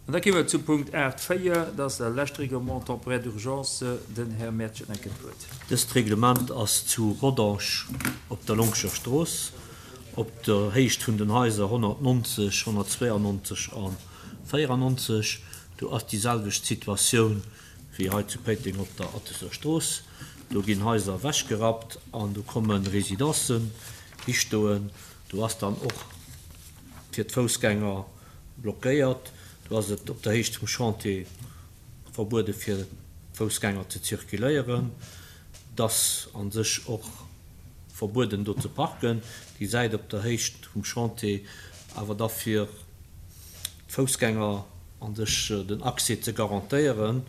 An da kéime mer zum Punkt 8, 4, dat ass dat lescht Règlement temporaire d'urgence. Den Här Mertsch huet nach eng Kéier d'Wuert. Dëst Reglement ass zu Rodange op der Longscher Strooss, op der Héicht vun den Haiser 190, 192 a 94. Do ass déi selwecht Situatioun wéi hei zu Péiteng op der Atteser Strooss. Do ginn Haiser ewechgerappt an do komme Residencen histoen. Do ass dann och fir d'Foussgänger blockéiert. Do ass et op der Héicht vum Chantier verbuede fir d'Foussgänger ze zirkuléieren. Et ass a sech och verbueden do ze parken. Déi Säit op der Héicht vum Chantier awer da fir d'Foussgänger a sech den Accès ze garantéieren,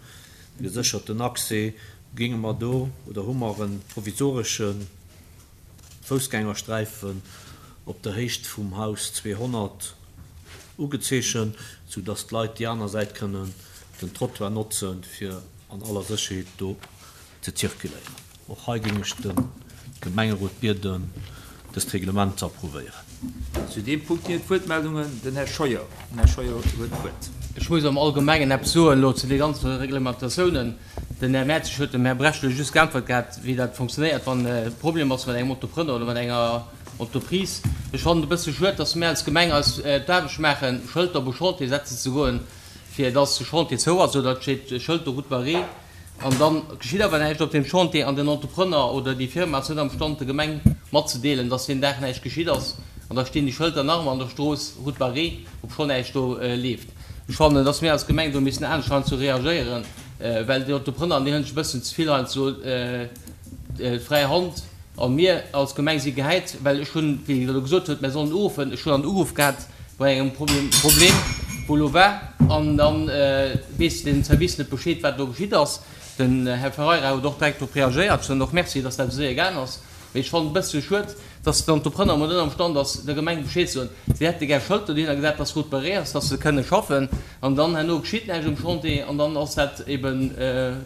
de gesécherten Accès, géinge mer do oder hu mer e provisoresche Foussgängersträifen op der Héicht vum Haus 200 ugezeechent, sou dass d'Leit déi aner Säit kënnen den Trottoir notzen, fir an aller Sécherheet do ze zirkuléieren. Och hei géing ech de Gemengerot bieden, dëst Reglement ze approuvéieren. Zu deem Punkt ginn et Wuertmeldungen. Den Här Scheuer. Den Här Scheuer huet d'Wuert. Ech muss am Allgemengen eppes soen elo zu de ganze Reglementatiounen. Den Här Mertzig huet dem Här Brecht elo just geäntwert gehat, wéi dat fonctionnéiert, wann e Problem ass mat engem Entrepreneur oder mat enger Entreprise. Ech fannen et e bësse schued, dass mir als Gemeng eis d'Aarbecht maachen, Schëlter op e Chantier setzen ze goen, fir dass de Chantier zou ass oder et steet Schëld do, Route barrée. An da geschitt awer näischt op deem Chantier an den Entrepreneur oder déi Firma ass net am Stand, der Gemeng matzedeelen, dass deen Dag näischt geschitt ass. An da stinn déi Schëlter nach ëmmer an der Strooss, Route barrée, obschonn näischt do leeft. Ech fannen, dass mir als Gemeng do missten anescht heiansdo reagéieren, well déi Entrepreneuren, déi hunn sech e bëssen ze vill heiansdo d'fräi Hand. A mir als Gemeng si gehäit, well ech hunn, wéi Der elo gesot hutt, mir sollen uruffen, ech hunn an Uruff gehat bei engem Problem, wou elo war, an da weess den Service net Bescheed, wat elo geschitt ass. Den Här Ferreira huet och direkt drop reagéiert. Ech soen och Merci, dass dat esou séier gaangen ass. Mee ech fannen et e bëssche schued, dass den Entrepreneur emol net am Stand ass, der Gemeng Bescheed ze soen. Si hätte gär Schëlter dohinner gesat, dass Route barrée ass, dass se kënne schaffen. An dann herno geschitt näischt um Chantier an dann ass dat eben,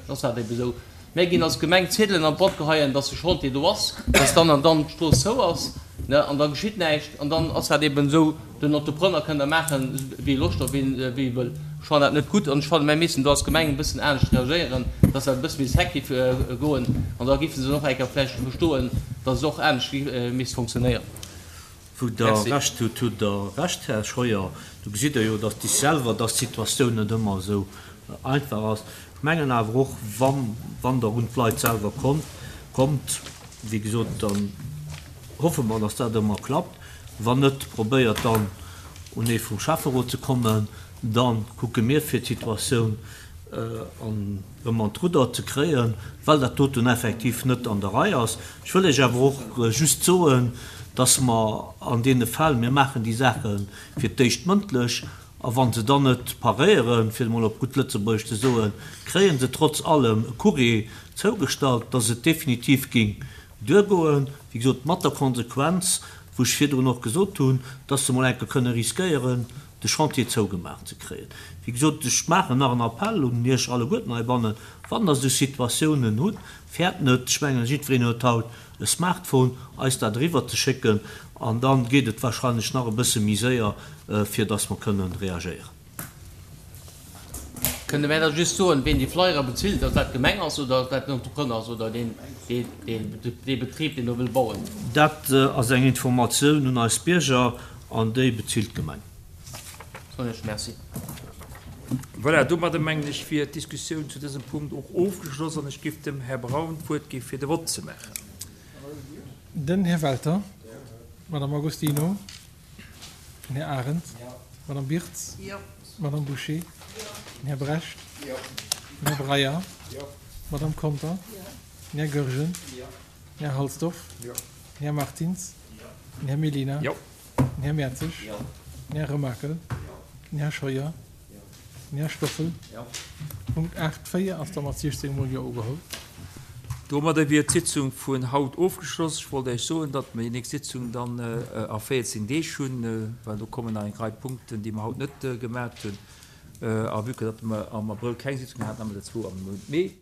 ass dat eben esou. Mär ginn als Gemeng Ziedelen an d'Boîte geheien, dass de Chantier do ass, dass dann an dann d'Strooss zou ass, ne, an da geschitt näischt. An dann ass dat eben esou, den Entrepreneur kënn da maachen, wéi e Loscht huet, wéi e wëll. Ech fannen dat net gutt an ech fannen, mär missten do als Gemeng e bëssen anescht reagéieren, dass dat e bësse méi sec géif goen an da géife se och eng Kéier vläicht verstoen, dass et och anescht misst funktionéieren. Wou Der Recht hutt, hutt Der Recht, Här Scheuer. Do gesitt Der jo, dass Dir selwer, dass d'Situatioun net ëmmer esou einfach ass. Ech mengen awer och, wann, wann Der un d'Leit selwer kommt, kommt, wéi gesot, dann hoffe mer, dass dat ëmmer klappt. Wann net, probéiert dann un ee vum Schäfferot ze kommen. Da kucke mir, fir d'Situatioun an erëm an d'Rudder ze kréien, well dat doten effektiv net an der Rei ass. Ech wëll Iech awer och just soen, dass mer an deene Fäll, mir maachen déi Saache fir d'éischt mëndlech, a wa se dann net paréieren, fir et emol op gutt Lëtzebuergesch ze soen, kréie se trotz allem e Courrier zougestallt, dass et definitiv géing duergoen, wéi gesot mat der Konsequenz, wou ech virdrun och gesot hunn, dass se emol enke kënne riskéieren, de Chantier zougemaach ze kréien. Wéi gesot, ech maachen nach en Appell un Iech alleguerten heibannen, Wann Der esou Situatiounen hutt, fäert net, ech mengen, jiddwereen huet haut e Smartphone, eis dat eriwwerzeschécken an da geet et wahrscheinlech nach e bësse méi séier, fir dass mer kënnen reagéieren. Kënnt Der mär da just soen, ween déi Flyere bezilt, ob dat d'Gemeng ass oder ob dat den Entrepreneur ass oder deen, dee Betrib, deen do wëll bauen? Dat ass eng Informatioun un eis Bierger an déi bezilt d'Gemeng. Soen ech Merci. Voilà, domadder mengen ech wier d'Diskussioun zu dësem Punkt och ofgeschloss an ech géif dem Här Braun d'Wuert gi fir de Vott ze maachen. Den Här Welter, d'Madame Agostino. Den Här Arendt. D'Madame Birtz. D'Madame Bouché. Den Här Brecht. Den Här Breyer. D'Madame Conter. Den Här Goergen. Den Här Halsdorf. Den Här Martins. Den Här Mellina. Den Här Mertzig. Den Här Remakel. Den Här Scheuer. Den Här Stoffel. Punkt 8, 4 ass da mat 16 mol Jo ugeholl. Domadder wier d'Sitzung vun haut ofgeschloss. Ech wollt Iech soen, datt mer déi nächst Sitzung dann a 14 Deeg hunn, well do kommen nach eng Rei Punkten, déi mer haut net gemat hunn. A vue que datt mer am Abrëll keng Sitzung haten, hu mer der zwou am Mount Mee.